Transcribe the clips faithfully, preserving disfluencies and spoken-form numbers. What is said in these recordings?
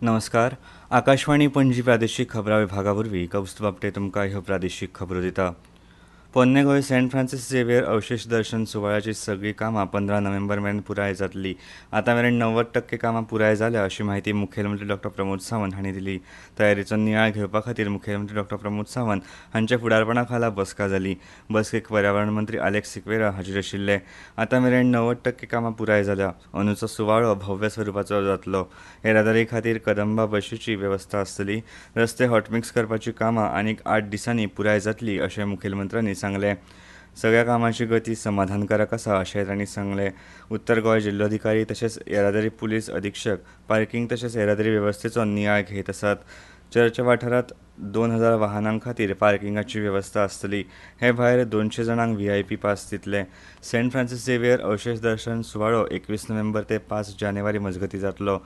नमस्कार, आकाशवाणी पणजी प्रादेशीक खबरां विभागा वरवीं कौस्तुभ आपटे तुमकां ह्यो प्रादेशीक खबरो दिता. पोन्ने गोंय सेंट फ्रांसीस झेवियर अवशेष दर्शन सुवाळ्याची सगळीं कामां पंदरा नोव्हेंबर मेरेन पुराय जातली. आतां मेरेन णव्वद टक्के कामां पुराय जाल्या अशी म्हायती मुखेलमंत्री डॉक्टर प्रमोद सावंत हांणी दिली. तयारीचो नियाळ घेवपा खातीर मुखेलमंत्री डॉक्टर प्रमोद सावंत हांच्या फुडारपणा खाला बसका जाली. बसकेक पर्यावरण मंत्री आलेक्स सिक्वेरा हाजीर आशिल्ले. आतां मेरेन णव्वद टक्के कामां पुराय जाल्या. अंदूचो सुवाळो भव्य स्वरुपाचो जातलो. येरादारी खातीर कदंबा बशीची वेवस्था आसतली. रस्ते हॉटमिक्स करपाची कामां आनीक आठ दिसांनी पुराय जातली अशें मुखेलमंत्र्यांनी सांगलें. सगळ्या कामाची गती समाधानकारक आसा अशें तांणी सांगलें. उत्तर गोंय जिल्लोधिकारी तशेंच येरादारी पुलीस अधिक्षक पार्किंग तशेंच येरादारी वेवस्थेचो नियाळ घेत आसात. चर्च वाठारांत दोन हजार वाहनां खातीर पार्किंगाची वेवस्था आसतली. हे भायर दोनशे जाणांक व्ही I P pass दितले. सेंट फ्रांसीस झेवियर अवशेष दर्शन सुवाळो एकवीस नोव्हेंबर ते पांच जानेवारी मजगतीं जातलो.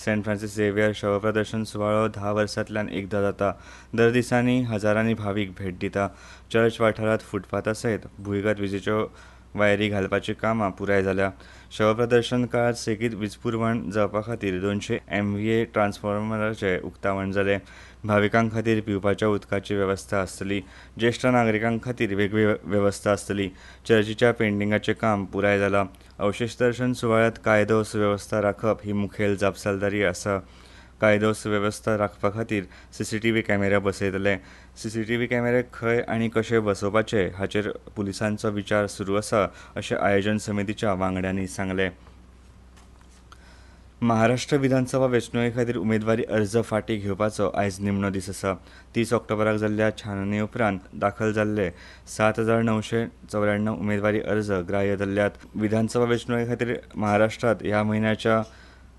सेंट फ्रांसीस झेवियर शवप्रदर्शन सुवाळो धा वर्सांतल्यान एकदां जाता. दर दिसांनी हजारांनी भावीक भेट दिता. चर्च वाठारांत फुटपाथा सयत भुंयगत विजेच्यो वायरी घालपाची कामां पुराय जाल्या. शवप्रदर्शन काळांत सेगीत वीज पुरवण जावपा खातीर दोनशे एम व्ही ए ट्रान्सफॉर्मराचें उक्तावण जालें. भाविकां खातीर पिवपाच्या उदकाची वेवस्था आसतली. ज्येश्ठ नागरिकां खातीर वेगळी वेवस्था आसतली. चर्चीच्या पेंटिंगाचें काम पुराय जालां. अवशेष दर्शन सुवाळ्यांत कायदो सुवेवस्था राखप ही मुखेल जापसालदारी आसा. कायदो सुवेवस्था राखपा खातीर C C T V camera बसयतले. सी सी टी व्ही कॅमेरे खंय आनी कशे बसोवपाचे हाचेर पुलिसांचो विचार सुरू आसा अशें आयोजन समितीच्या वांगड्यांनी सांगलें. महाराष्ट्र विधानसभा वेंचणुके खातीर उमेदवारी अर्ज फाटीं घेवपाचो आयज निमणो दीस आसा. तीस ऑक्टोबराक जाल्ल्या छाननी उपरांत दाखल जाल्ले सात हजार णवशे चौऱ्याण्णव उमेदवारी अर्ज ग्राह्य धरल्यात. विधानसभा वेंचणुके खातीर महाराष्ट्रांत ह्या म्हयन्याच्या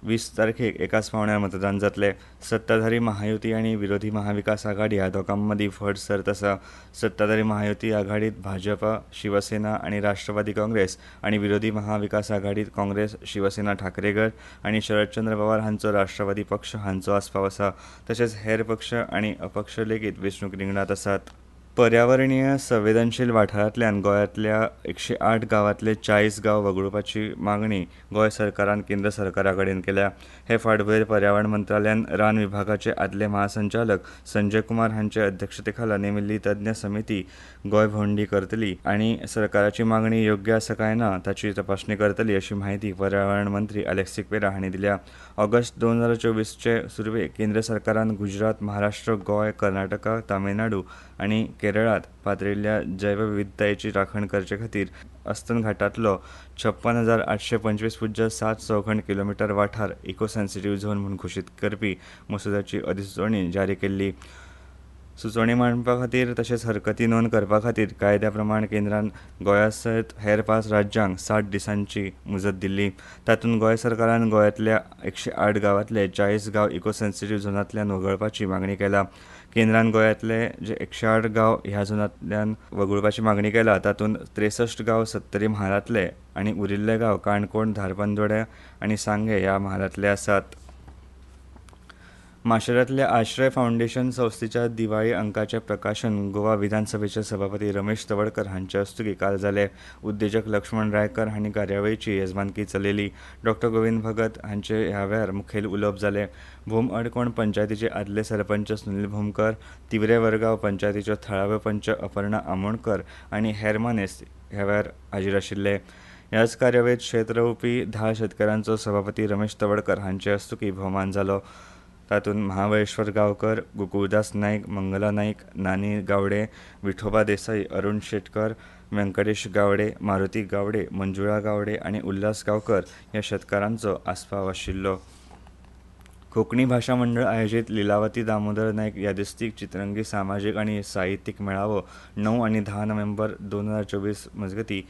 वीस तारखेक एकाच पावण्यार मतदान जातलें. सत्ताधारी महायुती आनी विरोधी महाविकास आघाडी ह्या दोगां मदीं व्हड सर्त आसा. सत्ताधारी महायुती आघाडीत भाजपा, शिवसेना आनी राष्ट्रवादी काँग्रेस आनी विरोधी महाविकास आघाडीत काँग्रेस, शिवसेना ठाकरे गट आनी शरदचंद्र पवार हांचो राष्ट्रवादी पक्ष हांचो आस्पाव आसा. तशेंच हेर पक्ष आनी अपक्ष लेगीत वेंचणूक रिंगणांत आसात. पर्यावरणीय संवेदनशील वाठारांतल्यान गोंयांतल्या एकशे आठ गांवांतले चाळीस गांव वगळुपाची मागणी गोंय सरकारान केंद्र सरकारा कडेन केल्या. हे फाटभुंयेर पर्यावरण मंत्रालयान रान विभागाचे आदले महासंचालक संजय कुमार हांचे अध्यक्षतेखाला नेमिल्ली तज्ञ समिती गोंय भोंवडी करतली आनी सरकाराची मागणी योग्य आसा काय ना ताची तपासणी करतली अशी म्हायती पर्यावरण मंत्री आलेक्स सिक्वेरा हांणी दिल्या. ऑगस्ट दोन हजार चोवीसचे सुरवेक केंद्र सरकारान गुजरात, महाराष्ट्र, गोंय, कर्नाटका, तामिळनाडू आनी केरळांत पातळिल्ल्या जैवविविधतायेची राखण करचे खातीर अस्तंत घाटांतलो छप्पन हजार आठशे पंचवीस पुज्य सात चौखण किलोमिटर वाठार इको सेन्सिटीव झोन म्हूण घोशीत करपी मसुद्याची अधिसुचोवणी जारी केल्ली. सुचोवणी मांडपा खातीर तशेंच हरकती नोंद करपा खातीर कायद्या प्रमाण केंद्रान गोंया सयत हेर पांच राज्यांक साठ दिसांची मुजत दिल्ली. तातूंत गोंय सरकारान गोंयांतल्या एकशे आठ गांवांतले चाळीस गांव इको सेन्सिटीव झोनांतल्यान वगळपाची मागणी केल्या. केंद्रान गोंयांतले जे एकशे आठ गांव ह्या झोनांतल्यान वगळपाची मागणी केल्या तातूंत त्रेसश्ट गांव सत्तरी म्हालांतले आनी उरिल्ले गांव काणकोण, धारबांदोडें आनी सांगें ह्या म्हालांतले आसात. माशेलांतल्या आश्रय फावंडेशन संस्थेच्या दिवाळी अंकाचें प्रकाशन गोवा विधानसभेचे सभापती रमेश तवडकर हांचे हस्तुकीं काल जालें. उद्देजक लक्ष्मण रायकर हांणी कार्यावळीची येजमानकी चलयली. डॉक्टर गोविंद भगत हांचे ह्या वेळार मुखेल उलोवप जालें. भोम अडकोण पंचायतीचे आदले सरपंच सुनील भोमकर, तिवरे वरगांव पंचायतीच्यो थळाव्यो पंच अपर्णा आमोणकर आनी हेर मानेस्त ह्या वेळार हाजीर आशिल्ले. ह्याच कार्यावळींत शेत रोवपी धा शेतकारांचो सभापती रमेश तवडकर हांचे हस्तुकीं भोवमान जालो. तातूंत महाबळेश्वर गांवकर, गोकुळदास नायक, मंगला नायक, नानी गावडे, विठोबा देसाई, अरुण शेटकर, व्यंकटेश गावडे, मारुती गावडे, मंजुळा गावडे आनी उल्हास गांवकर ह्या शेतकारांचो आस्पाव आशिल्लो. कोंकणी भाशा मंडळ आयोजीत लिलावती दामोदर नायक यादस्तीक चित्रंगी सामाजीक आनी साहित्यीक मेळावो णव आनी धा नोव्हेंबर दोन हजार चोवीस मजगतीं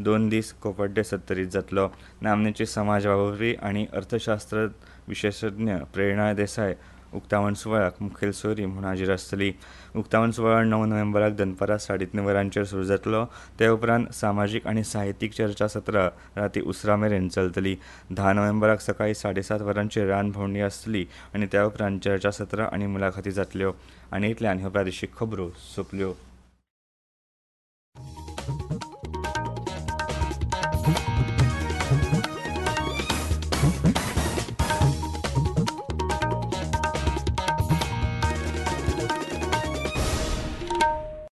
दोन दीस कोपड्डे सत्तरीत जातलो. नामनेचे समाज वावुरपी आनी अर्थशास्त्र विशेशज्ञ प्रेरणा देसाय उक्तावण सुवाळ्याक मुखेल सोयरी म्हूण हाजीर आसतली. उक्तावण सुवाळो णव नोव्हेंबराक दनपारां साडे तीन वरांचेर सुरू जातलो. ते उपरांत सामाजीक आनी साहित्यीक चर्चा सत्रां राती उसरां मेरेन चलतली. धा नोव्हेंबराक सकाळीं साडे सात वरांचेर रान भोंवडी आसतली आनी त्या उपरांत चर्चा सत्रां आनी मुलाखती जातल्यो. आनी इतल्यान ह्यो प्रादेशीक खबरो सोंपल्यो.